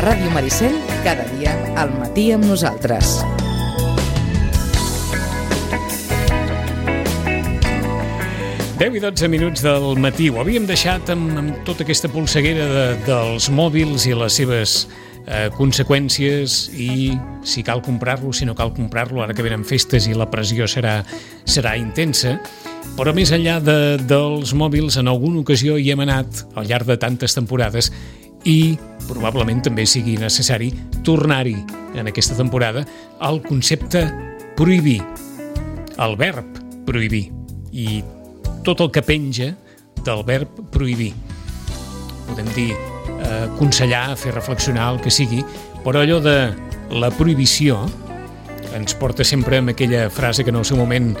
Ràdio Maricel, cada dia al matí amb nosaltres. Deu i 12 minuts del matí. Ho havíem deixat amb tota aquesta polseguera dels mòbils i les seves conseqüències, i si cal comprar-lo, si no cal comprar-lo, ara que venen festes i la pressió serà intensa. Però més enllà dels mòbils, en alguna ocasió hi hem anat al llarg de tantes temporades, i probablement també sigui necessari tornar-hi en aquesta temporada al concepte prohibir, el verb prohibir i tot el que penja del verb prohibir. Podem dir aconsellar, fer reflexionar, el que sigui, però allò de la prohibició ens porta sempre amb aquella frase que en el seu moment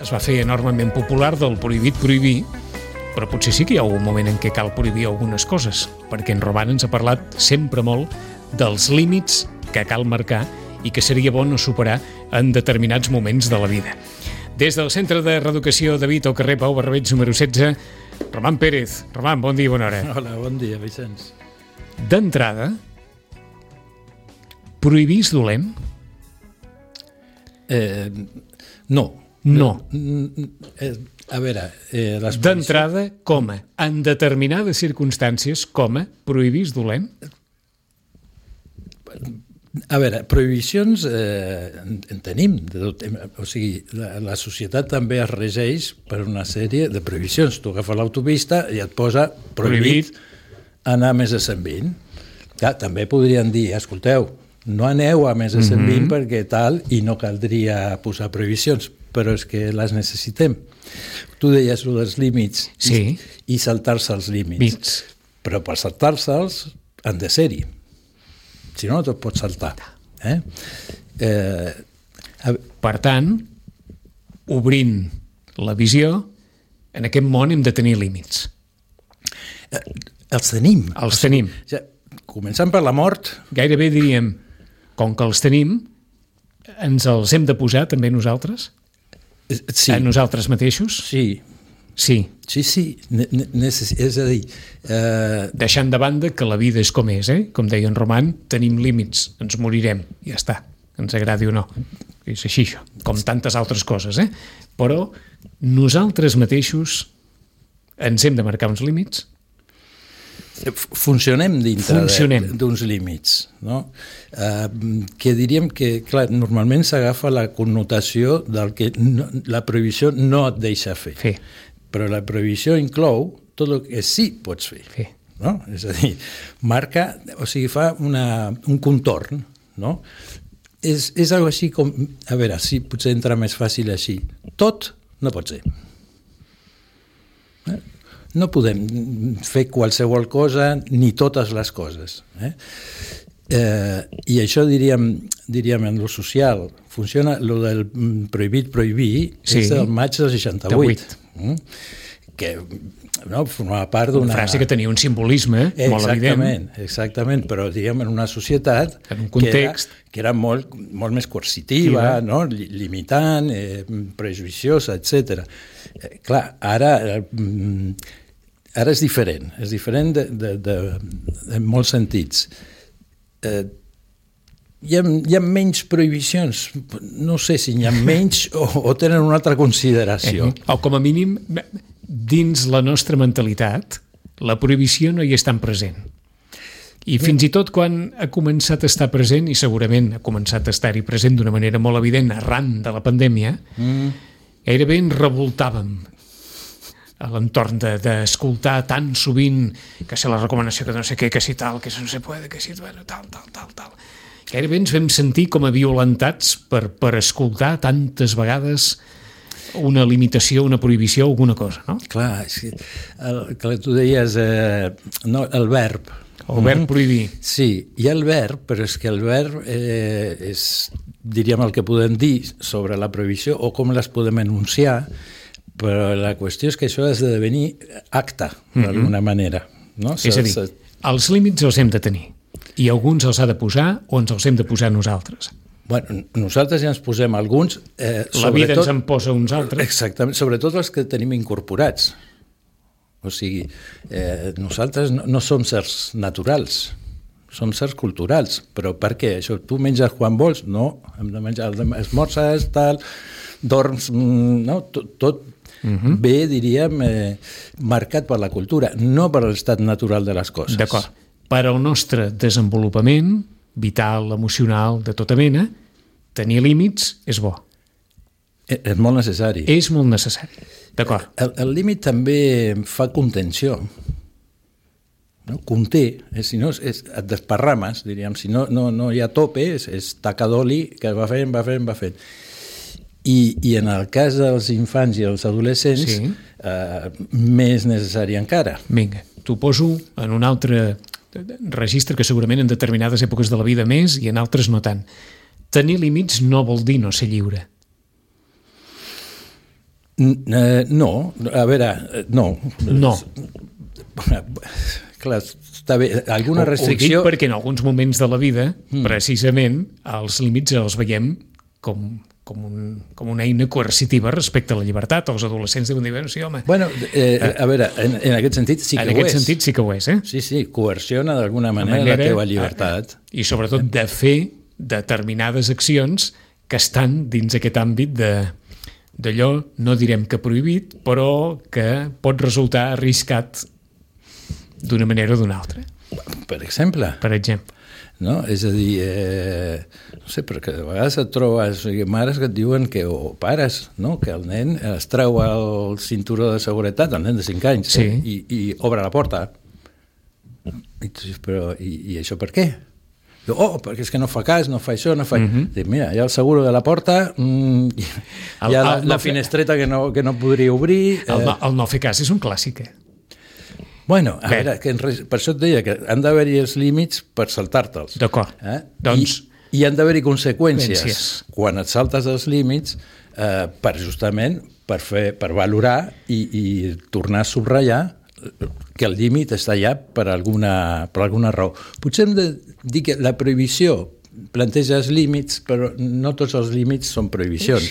es va fer enormement popular, del prohibit prohibir, però potser sí que hi ha un moment en què cal prohibir algunes coses, perquè en Roman ens ha parlat sempre molt dels límits que cal marcar i que seria bo no superar en determinats moments de la vida. Des del Centre de Reeducació David al carrer Pau Barberets número 16, Roman Pérez. Roman, bon dia i bona hora. Hola, bon dia, Vicenç. D'entrada, prohibir és dolent? No. No. A veure, d'entrada, coma, en determinades circumstàncies, coma, prohibir és dolent? A veure, prohibicions en tenim. O sigui, la societat també es regeix per una sèrie de prohibicions. Tu agafes l'autopista i et posa prohibit anar a més de 120. Clar, també podrien dir, escolteu, no aneu a més de 120 perquè tal, i no caldria posar prohibicions, però és que les necessitem. Tu deies el dels límits, sí, i saltar-se els límits. Però per saltar-se'ls han de ser-hi. Si no, no te'l pots saltar. Per tant, obrint la visió, en aquest món hem de tenir límits. Els tenim. Els tenim. Començant per la mort. Gairebé diríem, com que els tenim, ens els hem de posar també nosaltres? Sí. A nosaltres mateixos? Sí. Sí. Sí. És a dir... Deixant de banda que la vida és com és, com deia en Roman, tenim límits, ens morirem, ja està, ens agradi o no. És així, això, com tantes altres coses, Però nosaltres mateixos ens hem de marcar uns límits. Funcionem dintre d'uns límits, no? Que diríem que, clar, normalment s'agafa la connotació del que la prohibició no et deixa fer. Però la prohibició inclou tot el que sí pots fer. No? És a dir, marca, o sigui, fa un contorn, no? És algo així com, a veure, si potser entra més fàcil així. Tot no pot ser. No podem fer qualsevol cosa ni totes les coses. I això diríem en lo social. Funciona, lo del prohibir, és del maig del 68. Que formava part d'una... Una frase que tenia un simbolisme molt evident. Exactament, però diguem en una societat en un context que era molt més coercitiva, no? Limitant, prejuiciosa, etc. Clar, ara és diferent en molts sentits. Hi ha menys prohibicions, no sé si hi ha menys o tenen una altra consideració. O com a mínim, dins la nostra mentalitat, la prohibició no hi és tan present. I fins i tot quan ha començat a estar present, i segurament ha començat a estar-hi present d'una manera molt evident arran de la pandèmia, gairebé ens revoltàvem a l'entorn d'escoltar tan sovint que si la recomanació que no sé què, que si tal, que si no se puede, que si bueno, tal. Gairebé ens vam sentir com a violentats per escoltar tantes vegades una limitació, una prohibició, alguna cosa, no? Clar, és que tu deies el verb. El verb prohibir. Sí, hi ha el verb, però és que el verb és, diríem, el que podem dir sobre la prohibició o com les podem enunciar, però la qüestió és que això ha de devenir acte, d'alguna manera. No? És a dir, els límits els hem de tenir, i alguns els ha de posar o ens els hem de posar nosaltres. Bueno, nosaltres ja ens posem alguns... La vida ens en posa uns altres. Exactament, sobretot els que tenim incorporats. O sigui, nosaltres no som certs naturals. O són certs culturals. Però per què? Això, tu menges quan vols? No, hem de menjar, esmorzes, tal, dorms, no? Tot ve, diríem, marcat per la cultura, no per l'estat natural de les coses. D'acord. Per al nostre desenvolupament vital, emocional, de tota mena, tenir límits és bo. És molt necessari. És molt necessari, d'acord. El límit també fa contenció. No? Conté, si no et desparrames, diríem, si no hi ha tope, és taca d'oli que va fent. I en el cas dels infants i els adolescents, més necessari encara. Vinga, t'ho poso en un altre registre que segurament en determinades èpoques de la vida més i en altres no tant. Tenir límits no vol dir no ser lliure. No, a veure, no. No. Clar, està bé, alguna restricció... Ho dic perquè en alguns moments de la vida, precisament, els límits els veiem com una eina coercitiva respecte a la llibertat. Els adolescents deuen dir, bueno, sí, home... Bueno, a veure, en aquest sentit sí que ho és. En aquest sentit sí que ho és, eh? Sí, coerciona d'alguna manera la teva llibertat. I sobretot de fer determinades accions que estan dins aquest àmbit d'allò, no direm que prohibit, però que pot resultar arriscat d'una manera o d'una altra. Per exemple. Per exemple. No? És a dir, no sé, perquè de vegades et trobes mares que et diuen que, o pares, no? Que el nen es treu el cinturó de seguretat, el nen de 5 anys, i obre la porta. I tu dius, però i això per què? Diu, perquè és que no fa cas, no fa això, no fa... Dic, mira, hi ha el seguro de la porta, hi ha la finestreta que no podria obrir... El no fer cas és un clàssic, Bueno, a veure, per això et deia que han d'haver-hi els límits per saltar-te'ls. D'acord. Doncs... I han d'haver-hi conseqüències quan et saltes els límits per valorar i tornar a subratllar que el límit està allà per alguna raó. Potser hem de dir que la prohibició planteja els límits, però no tots els límits són prohibicions.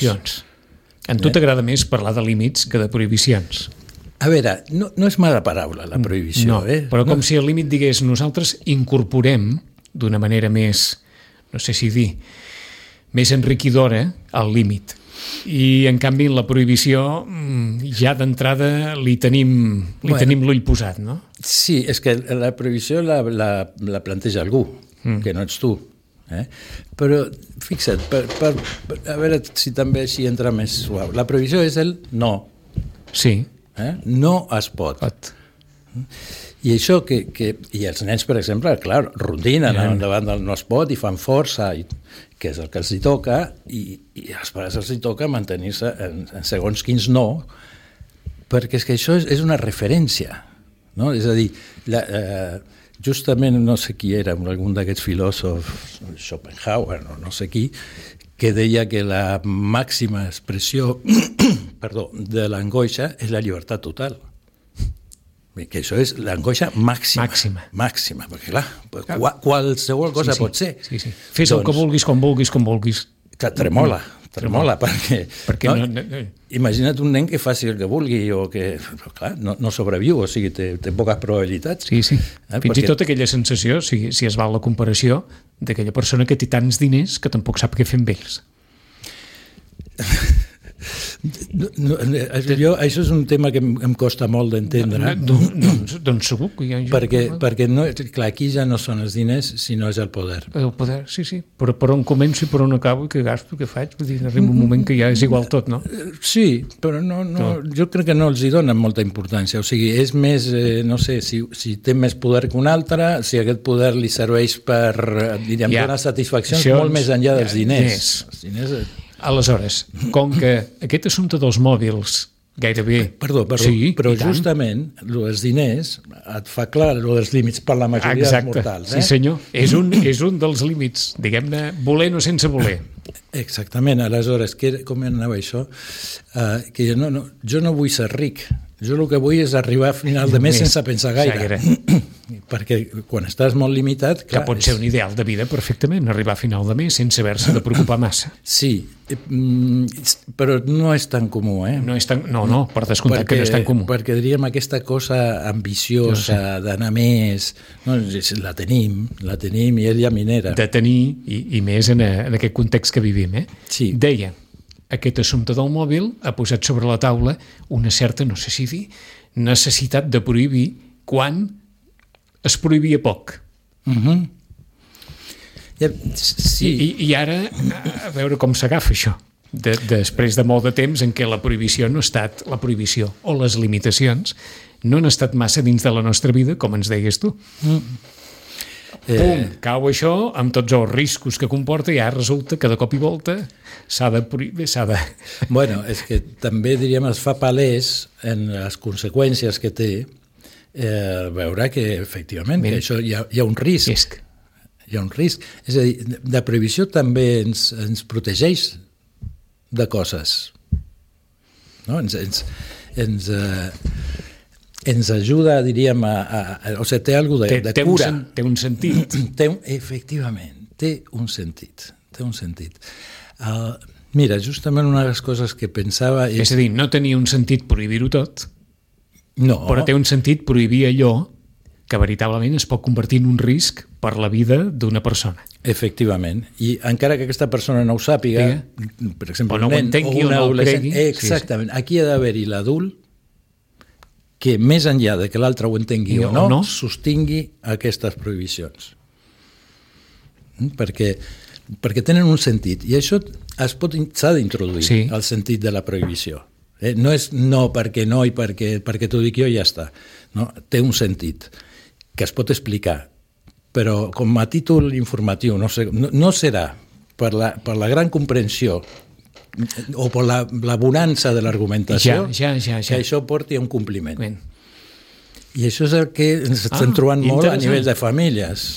A tu t'agrada més parlar de límits que de prohibicions. A veure, no és mala paraula, la prohibició. Però com si el límit digués nosaltres incorporem d'una manera més, no sé si dir, més enriquidora el límit. I, en canvi, la prohibició ja d'entrada li tenim l'ull posat, no? Sí, és que la prohibició la planteja algú, que no ets tu. Però, fixa't, a veure si també així entra més suau. La prohibició és el no. Sí. No es pot. I això i els nens, per exemple, clar, rondinen davant del no es pot i fan força, que és el que els hi toca, i als pares els hi toca mantenir-se en segons quins no, perquè és que això és una referència, no? És a dir, justament no sé qui era, algun d'aquests filòsofs, Schopenhauer, no sé qui, que deia que la màxima expressió de l'angoixa és la llibertat total. Que això és l'angoixa màxima. Màxima, perquè clar, qualsevol cosa pot ser. Fes el que vulguis, com vulguis. Que tremola, perquè imagina't un nen que faci el que vulgui o que, clar, no sobreviu, o sigui, té poques probabilitats. Sí. Fins i tot aquella sensació, si es val la comparació, d'aquella persona que té tants diners que tampoc sap què fer amb ells. Això és un tema que em costa molt d'entendre. Doncs segur que hi ha... Perquè clar, aquí ja no són els diners, sinó és el poder. El poder, sí. Però per on començo i per on acabo, què gasto, què faig? Vull dir, arriba un moment que ja és igual tot, no? Sí, però jo crec que no els hi donen molta importància. O sigui, és més, no sé, si té més poder que un altre, si aquest poder li serveix per, diríem, donar satisfaccions molt més enllà dels diners. Els diners... Aleshores, com que aquest assumpte dels mòbils gairebé... Perdó, sí, però justament els diners et fa clar els límits per la majoria dels mortals. Sí, senyor. És un dels límits, diguem-ne, voler o sense voler. Exactament. Aleshores, com anava això? Que jo no vull ser ric. Jo el que vull és arribar a final de mes sense pensar gaire. perquè quan estàs molt limitat... Clar, que pot ser un ideal de vida perfectament, arribar a final de mes sense haver-se de preocupar massa. Sí, però no és tan comú, No, per descomptat que no és tan comú. Perquè diríem aquesta cosa ambiciosa d'anar més, no, la tenim i ella minera. De tenir, i més en aquest context que vivim. Sí. Deia, aquest assumpte del mòbil ha posat sobre la taula una certa, no sé si dir, necessitat de prohibir quan es prohibia poc. Sí. I ara, a veure com s'agafa això, després de molt de temps en què la prohibició o les limitacions no han estat massa dins de la nostra vida, com ens deies tu. Pum, cau això amb tots els riscos que comporta i ara resulta que de cop i volta s'ha de prohibir, Bueno, és que també, diríem, es fa palès en les conseqüències que té veure que, efectivament, que això hi ha un risc. Hi ha un risc. És a dir, la prohibició també ens protegeix de coses. No? Ens ajuda, diríem, o sigui, té alguna cosa de cura. Té un sentit. Efectivament, té un sentit. Mira, justament una de les coses que pensava... És a dir, no tenia un sentit prohibir-ho tot, no. Però té un sentit prohibir allò que veritablement es pot convertir en un risc per la vida d'una persona. Efectivament. I encara que aquesta persona no ho sàpiga, per exemple, o no ho entengui o no ho cregui. Exactament. Sí. Aquí ha d'haver-hi l'adult que, més enllà de que l'altre ho entengui o no, sostingui aquestes prohibicions. Perquè tenen un sentit. I això s'ha d'introduir, el sentit de la prohibició. No és no perquè no i perquè t'ho dic jo i ja està. No? Té un sentit que es pot explicar, però com a títol informatiu no serà per la gran comprensió o per la bonança de l'argumentació que això porti a un compliment. I això és el que ens estem trobant molt a nivell de famílies.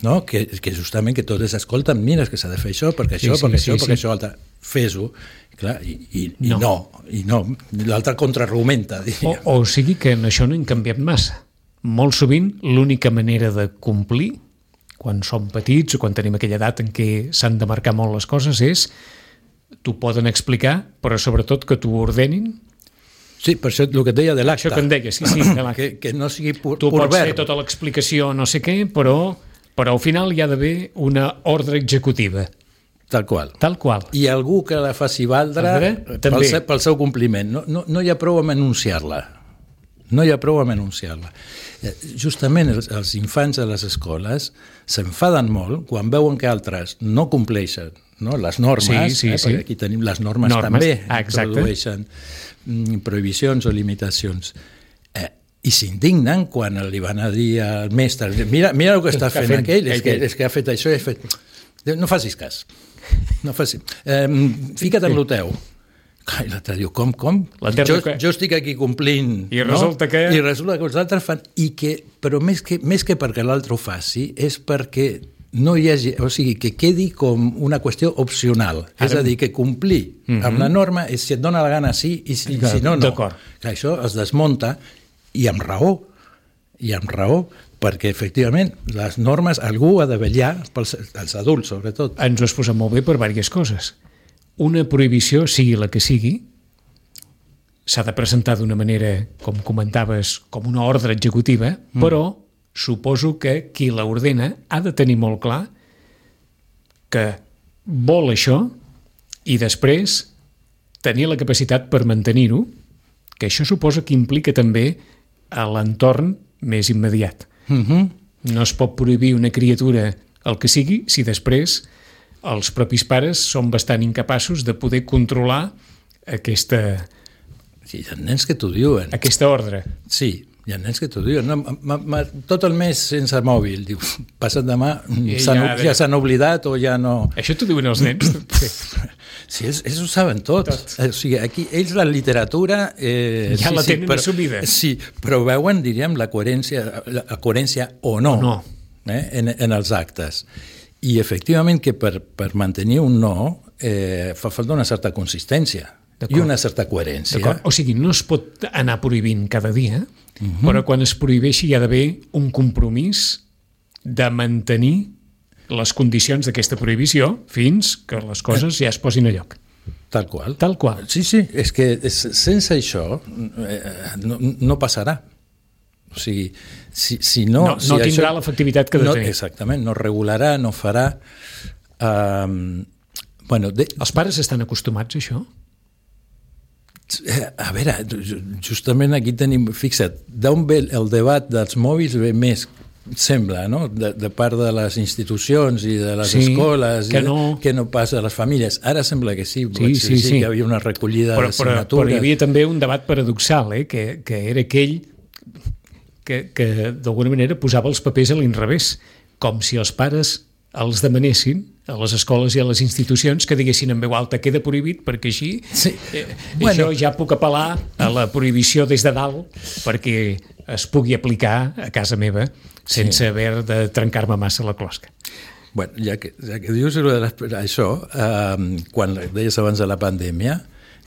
No? Que justament que totes escolten, mira, és que s'ha de fer això, perquè això altre, fes-ho. Clar, i no. L'altre contraargumenta, diria. O sigui que en això no hem canviat massa. Molt sovint l'única manera de complir, quan som petits o quan tenim aquella edat en què s'han de marcar molt les coses, és t'ho poden explicar, però sobretot que t'ho ordenin. Sí, per això el que et deia de l'acte. Això que em deies, sí, de l'acte. Que no sigui pur verb. Tu pots fer tota l'explicació, no sé què, però al final hi ha d'haver una ordre executiva. Tal qual. I algú que la faci valdre pel seu compliment. No hi ha prou amb enunciar-la. Justament els infants a les escoles s'enfaden molt quan veuen que altres no compleixen les normes, perquè aquí tenim les normes també, introdueixen prohibicions o limitacions. I s'indignen quan li van a dir al mestre mira el que està fent aquell, és que ha fet això i ha fet... No facis cas. Fica't en lo teu. I l'altre diu, com? Jo estic aquí complint. I resulta que... I resulta que els altres fan... Però més que perquè l'altre ho faci, és perquè no hi hagi... O sigui, que quedi com una qüestió opcional. És a dir, que complir amb la norma és si et dona la gana sí i si no, no. D'acord. Que això es desmunta i amb raó. Perquè, efectivament, les normes algú ha de vetllar, els adults, sobretot. Ens ho has posat molt bé per diverses coses. Una prohibició, sigui la que sigui, s'ha de presentar d'una manera, com comentaves, com una ordre executiva, però suposo que qui l'ordena ha de tenir molt clar que vol això i després tenir la capacitat per mantenir-ho, que això suposa que implica també a l'entorn més immediat. No es pot prohibir una criatura el que sigui si després els propis pares són bastant incapaços de poder controlar aquesta... Sí, hi ha nens que t'ho diuen. Aquesta ordre. Sí, hi ha nens que t'ho diuen. Tot el mes sense mòbil. Diu, passa't demà, ja s'han oblidat o ja no... Això t'ho diuen els nens? Sí, ells ho saben tot. O sigui, aquí ells la literatura... ja la tenen assumida. Sí, però veuen, diríem, la coherència o no. En els actes. I efectivament que per mantenir un no fa falta una certa consistència. I una certa coherència. O sigui, no es pot anar prohibint cada dia, però quan es prohibeixi hi ha d'haver un compromís de mantenir les condicions d'aquesta prohibició fins que les coses ja es posin a lloc. Tal qual. Tal qual. Sí, és que sense això no passarà. O sigui, si no... No tindrà l'efectivitat que ha de tenir. Exactament, no regularà, no farà... Els pares estan acostumats a això? A veure, justament aquí tenim... Fixa't, d'on ve el debat dels mòbils ve més, sembla, no? De part de les institucions i de les escoles que no passa a les famílies. Ara sembla que sí, que hi havia una recollida de signatures. Però hi havia també un debat paradoxal, que era aquell que d'alguna manera posava els papers a l'inrevés, com si els pares els demanessin a les escoles i a les institucions que diguessin en veu alta queda prohibit perquè així jo ja puc apel·lar a la prohibició des de dalt perquè es pugui aplicar a casa meva sense haver de trencar-me massa la closca. Bueno, ja que dius això, quan deies abans de la pandèmia,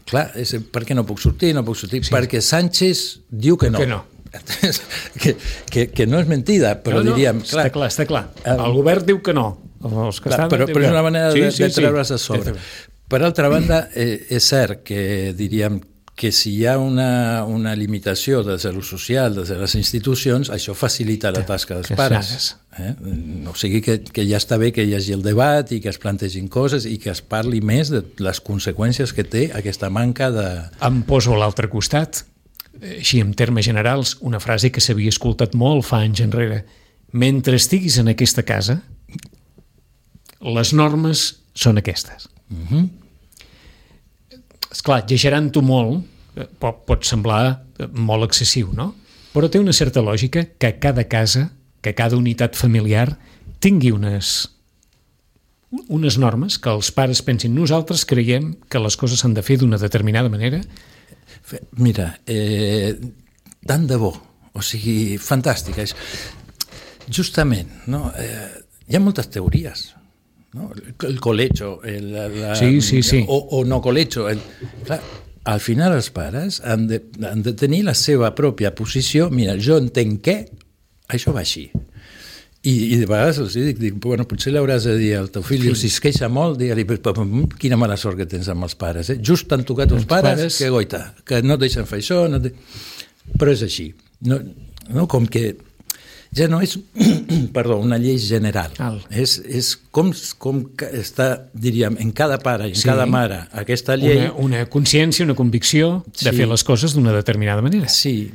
clar, per què no puc sortir? No puc sortir perquè Sánchez diu que no. Que no és mentida, però diríem... Està clar. El govern diu que no. Però és una manera de treure's a sobre. Per altra banda, és cert que diríem que si hi ha una limitació des de lo social, des de les institucions, això facilita la tasca dels pares. O sigui que ja està bé que hi hagi el debat i que es plantegin coses i que es parli més de les conseqüències que té aquesta manca de... Em poso a l'altre costat, així en termes generals, una frase que s'havia escoltat molt fa anys enrere. Mentre estiguis en aquesta casa, les normes són aquestes. Esclar, exagerant-ho molt, pot semblar molt excessiu, no? Però té una certa lògica que cada casa, que cada unitat familiar tingui unes normes que els pares pensin nosaltres creiem que les coses s'han de fer d'una determinada manera. Mira, tant de bo, o sigui, fantàstic. Justament, no? Hi ha moltes teories, no? El colecho, o no colecho. Clar, al final els pares han de tenir la seva pròpia posició. Mira, jo entenc que això va així. I de vegades els dic, bueno, potser l'hauràs de dir al teu fill, si es queixa molt, digue-li, quina mala sort que tens amb els pares. Just t'han tocat els pares, que goita, que no et deixen fer això, però és així. No, com que ja no és una llei general. És com que està, diríem, en cada pare i en cada mare aquesta llei... Una consciència, una convicció de fer les coses d'una determinada manera. Sí.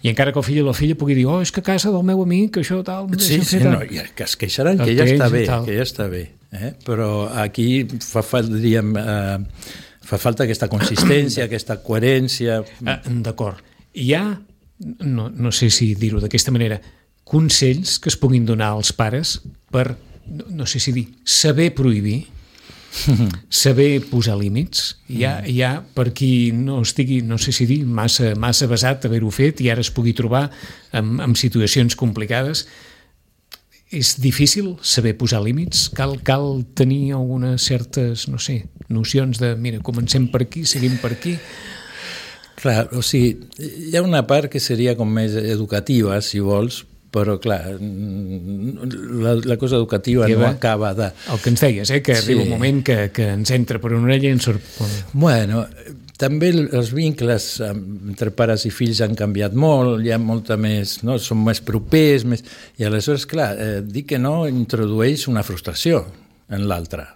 I encara que el fill o la filla pugui dir és que a casa del meu amic això tal... que es queixaran, que ja està bé. Però aquí fa falta aquesta consistència, aquesta coherència... D'acord. Hi ha, no sé si dir-ho d'aquesta manera, consells que es puguin donar als pares per, no sé si dir, saber prohibir, saber posar límits. Hi ha per qui no estigui, no sé si dir, massa basat haver-ho fet i ara es pugui trobar en situacions complicades. És difícil saber posar límits? Cal tenir algunes certes, no sé, nocions de, mira, comencem per aquí, seguim per aquí... Clar, o sigui, hi ha una part que seria com més educativa, si vols, però clar, la cosa educativa no acaba de... El que ens deies, que arriba un moment que ens entra per una orella i ens surt... Bueno, també els vincles entre pares i fills han canviat molt, hi ha molta més, no? Són més propers, i aleshores, clar, dir que no introdueix una frustració en l'altre.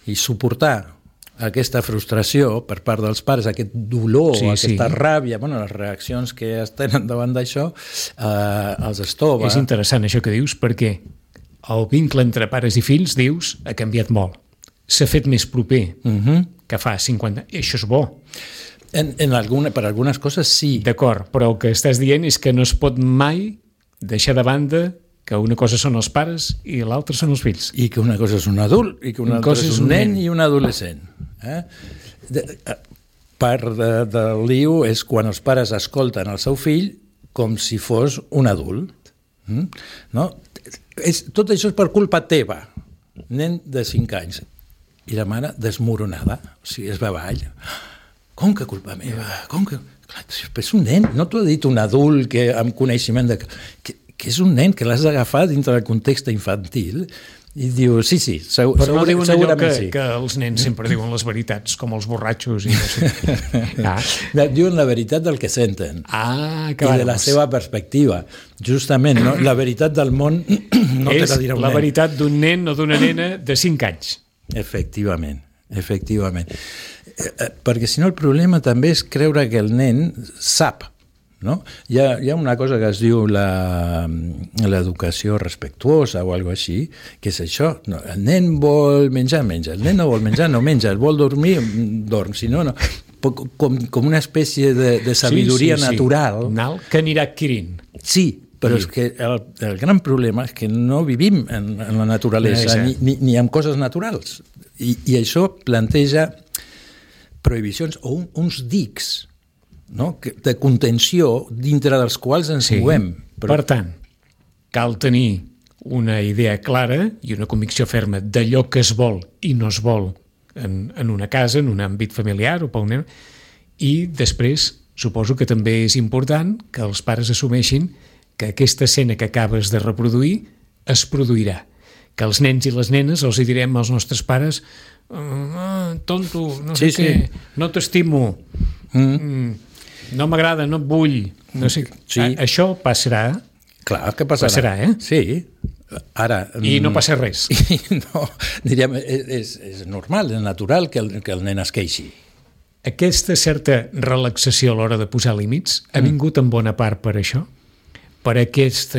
I suportar aquesta frustració per part dels pares, aquest dolor, aquesta ràbia, les reaccions que es tenen davant d'això, els estova. És interessant això que dius, perquè el vincle entre pares i fills, dius, ha canviat molt. S'ha fet més proper que fa 50 anys. I això és bo. Per algunes coses sí. D'acord, però el que estàs dient és que no es pot mai deixar de banda que una cosa són els pares i l'altra són els fills. I que una cosa és un adult, i que una altra és un nen i un adolescent. Part del lío és quan els pares escolten el seu fill com si fos un adult. No? Tot això és per culpa teva, nen de 5 anys. I la mare desmoronada, o sigui, es va avall. Com que culpa meva? Com que... Clar, és un nen, no t'ho ha dit un adult que, amb coneixement que és un nen que l'has d'agafar dintre del context infantil i diu, sí, però no diuen allò que els nens sempre diuen les veritats, com els borratxos i no sé. Diuen la veritat del que senten i de la seva perspectiva. Justament, no? La veritat del món no te la dirà un nen. És la veritat d'un nen o d'una nena de 5 anys. Efectivament. Perquè si no el problema també és creure que el nen sap, no? Hi ha una cosa que es diu l'educació respectuosa o alguna cosa així, que és això, no, el nen vol menjar, menja, el nen no vol menjar, no menja, el vol dormir, dorm, si no, no. Com una espècie de sabidoria natural. Que anirà adquirint. Sí, però és que el gran problema és que no vivim en la naturalesa ni amb coses naturals. I això planteja prohibicions o uns dics, no? De contenció dintre dels quals ens movem. Per tant, cal tenir una idea clara i una convicció ferma d'allò que es vol i no es vol en una casa, en un àmbit familiar o per un nen, i després suposo que també és important que els pares assumeixin que aquesta escena que acabes de reproduir es produirà, que els nens i les nenes els hi direm als nostres pares tonto, no sé què, no t'estimo, no m'agrada, no et vull, no sé. Això passarà. Clar que passarà. Sí. Ara, i no passa res. No, diríem, és normal, és natural que el nen es queixi. Aquesta certa relaxació a l'hora de posar límits ha vingut en bona part per això? Per aquesta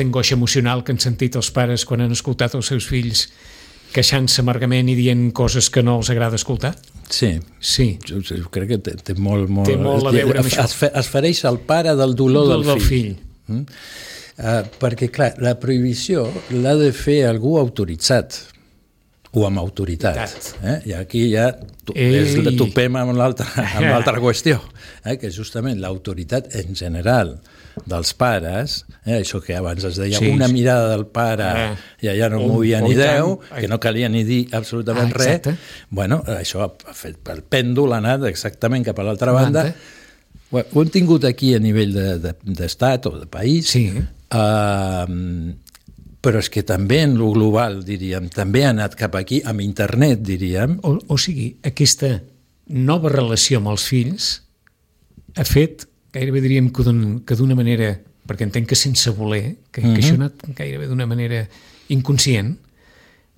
angoixa emocional que han sentit els pares quan han escoltat els seus fills queixant-se amargament i dient coses que no els agrada escoltar? Sí. Jo crec que té molt a veure amb això. Es fereix el pare del dolor del fill. Perquè, clar, la prohibició l'ha de fer algú autoritzat o amb autoritat. I aquí ja topem amb l'altra qüestió, que justament l'autoritat en general dels pares, això que abans es deia una mirada del pare i allà no movia ni Déu, que no calia ni dir absolutament res, bueno, això ha fet el pèndol, ha anat exactament cap a l'altra banda. Ho hem tingut aquí a nivell d'estat o de país, però és que també en lo global, diríem, també ha anat cap aquí, amb internet, diríem. O sigui, aquesta nova relació amb els fills ha fet, gairebé diríem que d'una manera, perquè entenc que sense voler, que això ha anat gairebé d'una manera inconscient,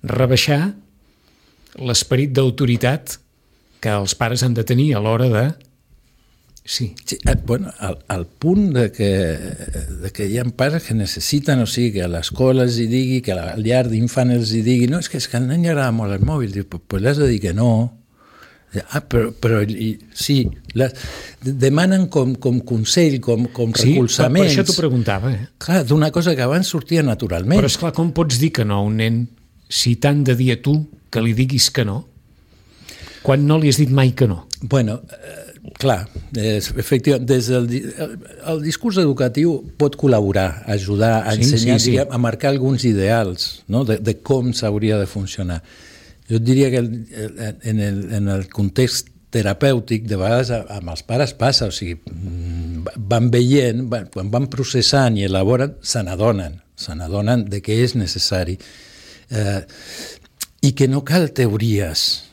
rebaixar l'esperit d'autoritat que els pares han de tenir a l'hora de... Bueno, al punt de que hi ha pares que necessiten, o sigui, que a l'escola els hi digui, que a la llar d'infant els hi digui, no, és que al nen li agrada molt el mòbil, diu, pues l'has de dir que no. Però sí, demanen com consell, com recolzaments. Per això t'ho preguntava. Clar, d'una cosa que abans sortia naturalment. Però esclar, com pots dir que no a un nen si t'han de dir a tu que li diguis que no, quan no li has dit mai que no? Bueno, clar, efectivament, el discurs educatiu pot col·laborar, ajudar a ensenyar, a marcar alguns ideals, no? de com s'hauria de funcionar. Jo diria que en el context terapèutic de vegades amb els pares passa, o sigui, van veient, quan van processant i elaboren, se n'adonen de què és necessari i que no cal teories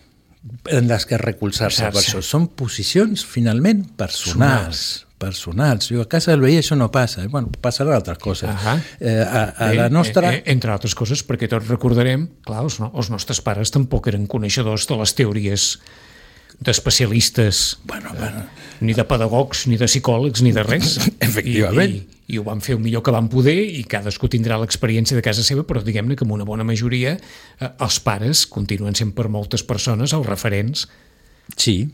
en les que recolzar-se per això. Són posicions, finalment, personals. Jo a casa del veí això no passa. Bueno, passaran altres coses. A la nostra... Entre altres coses, perquè tots recordarem, clar, els nostres pares tampoc eren coneixedors de les teories d'especialistes, ni de pedagogs, ni de psicòlegs, ni de res. Efectivament. I ho van fer el millor que van poder i cadascú tindrà l'experiència de casa seva, però diguem-ne que amb una bona majoria els pares continuen sent per moltes persones els referents. Sí.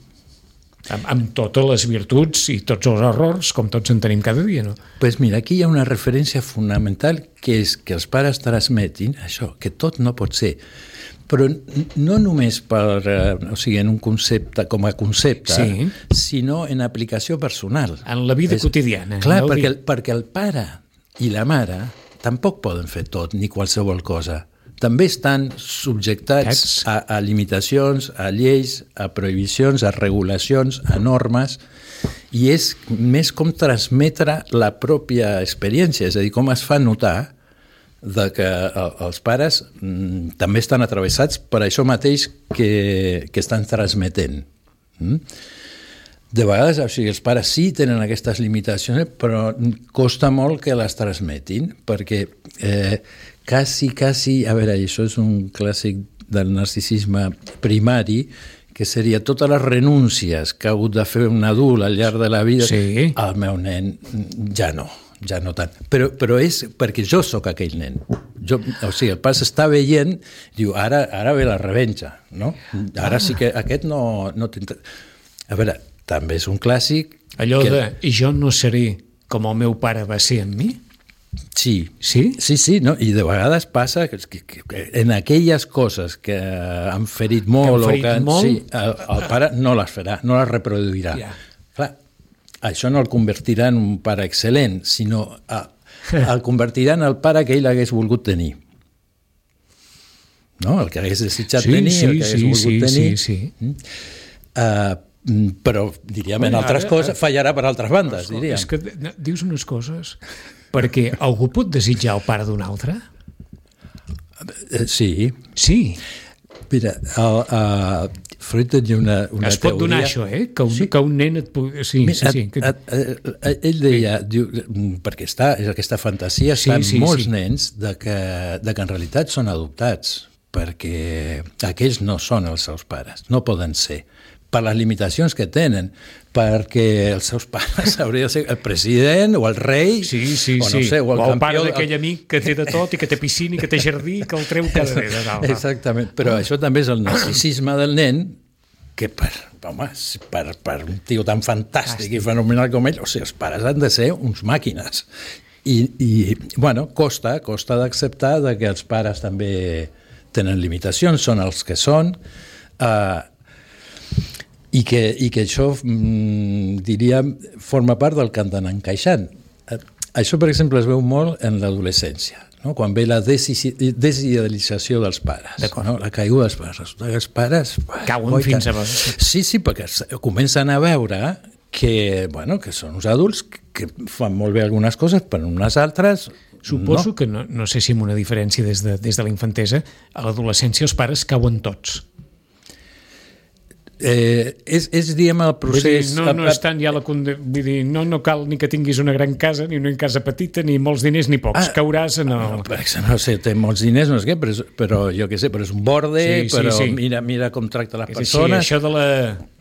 Amb totes les virtuts i tots els errors, com tots en tenim cada dia, no? Pues mira, aquí hi ha una referència fonamental que és que els pares transmetin això, que tot no pot ser. Però no només en un concepte, com a concepte, sinó en aplicació personal. En la vida quotidiana. Clar, perquè el pare i la mare tampoc poden fer tot, ni qualsevol cosa. també estan subjectats a limitacions, a lleis, a prohibicions, a regulacions, a normes, i és més com transmetre la pròpia experiència, és a dir, com es fa notar que els pares també estan atravessats per això mateix que estan transmetent. De vegades, o sigui, els pares sí tenen aquestes limitacions, però costa molt que les transmetin, perquè quasi, a veure, això és un clàssic del narcisisme primari, que seria totes les renúncies que ha hagut de fer un adult al llarg de la vida, sí. El meu nen ja no tant. Però és perquè jo sóc aquell nen. O sigui, el pare s'està veient, diu, ara ve la revenja, no? Ara sí que aquest no t'interessa. A veure, també és un clàssic... Allò de, i jo no seré com el meu pare va ser amb mi? Sí. Sí? Sí, no? I de vegades passa que en aquelles coses que han ferit molt, sí, el pare no les farà, no les reproduirà. Yeah. Clar, això no el convertirà en un pare excel·lent, sinó el convertirà en el pare que ell hagués volgut tenir. No? El que hagués desitjat tenir, el que hagués volgut tenir. Sí. Però, diríem, en altres coses fallarà per altres bandes, diríem. És que dius unes coses... Perquè algú pot desitjar el pare d'un altre? Sí. Sí. Mira, Freud tenia una teoria... Es pot donar això, que un nen et pugui... Sí. Ell deia, perquè aquesta fantasia està en molts nens de que en realitat són adoptats, perquè aquells no són els seus pares, no poden ser, per les limitacions que tenen, perquè els seus pares haurien de ser el president o el rei, o no sé, o el campió... O el pare d'aquell amic que té de tot i que té piscina i que té jardí i que el treu cada dia de dalt. Exactament, però això també és el narcisisme del nen, que per un tio tan fantàstic i fenomenal com ell, o sigui, els pares han de ser uns màquines. I bueno, costa d'acceptar que els pares també tenen limitacions, són els que són, i que això, diríem, forma part del que han d'anar encaixant. Això, per exemple, es veu molt en l'adolescència, no? Quan ve la desidealització dels pares, no? La caiguda dels pares. Resulta que els pares... Cauen fins a vegades. Sí, perquè comencen a veure que són uns adults que fan molt bé algunes coses, però unes altres... Suposo que, no sé si amb una diferència des de la infantesa, a l'adolescència els pares cauen tots. És diguem, el procés... No estan ja vull dir, no cal ni que tinguis una gran casa, ni una casa petita, ni molts diners, ni pocs. Cauràs en el... No sé, té molts diners, no sé què, però jo què sé, però és un borde, però mira com tracta les persones... Sí, això de la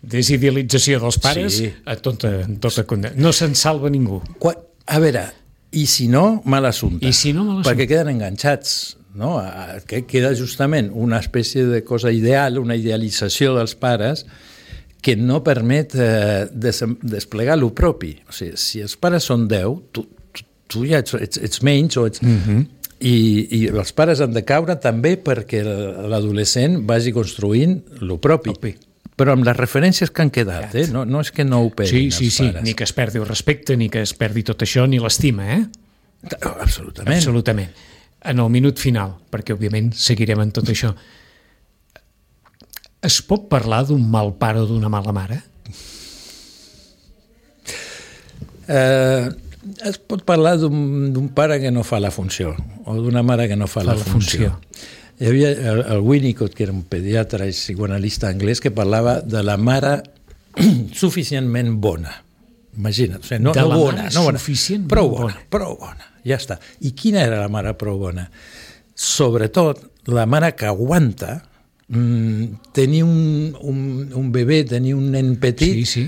desidealització dels pares, a tota condemna. No se'n salva ningú. A veure, i si no, mal assumpte. Perquè queden enganxats. No? Que queda justament una espècie de cosa ideal, una idealització dels pares que no permet desplegar el propi. O sigui, si els pares són 10, tu ja ets menys, i els pares han de caure també perquè l'adolescent vagi construint el propi. Però amb les referències que han quedat, no és que no ho perdin els pares. Ni que es perdi el respecte, ni que es perdi tot això, ni l'estima, Absolutament. En el minut final, perquè òbviament seguirem en tot això. Es pot parlar d'un mal pare o d'una mala mare? Es pot parlar d'un pare que no fa la funció, o d'una mare que no fa la funció. Hi havia el Winnicott, que era un pediatre i psicoanalista anglès, que parlava de la mare suficientment bona. Imagina't, o sigui, no bona, prou bona, ja està. I quina era la mare prou bona? Sobretot, la mare que aguanta tenir un bebè, tenir un nen petit,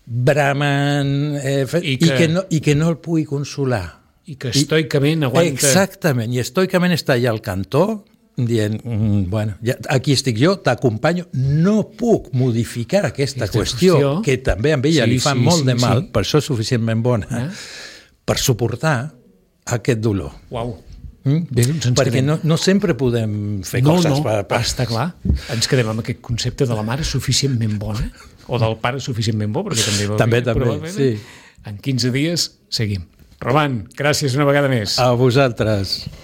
bramant, i que no el pugui consolar. I que estoicament aguanta... Exactament, i estoicament està allà al cantó, dient, aquí estic jo, t'acompanyo, no puc modificar aquesta qüestió, que també a ella li fa molt de mal, per això és suficientment bona, per suportar aquest dolor. Uau. Perquè no sempre podem fer coses. Està clar. Ens quedem amb aquest concepte de la mare suficientment bona, o del pare suficientment bo, perquè també, sí. En 15 dies seguim. Roman, gràcies una vegada més. A vosaltres.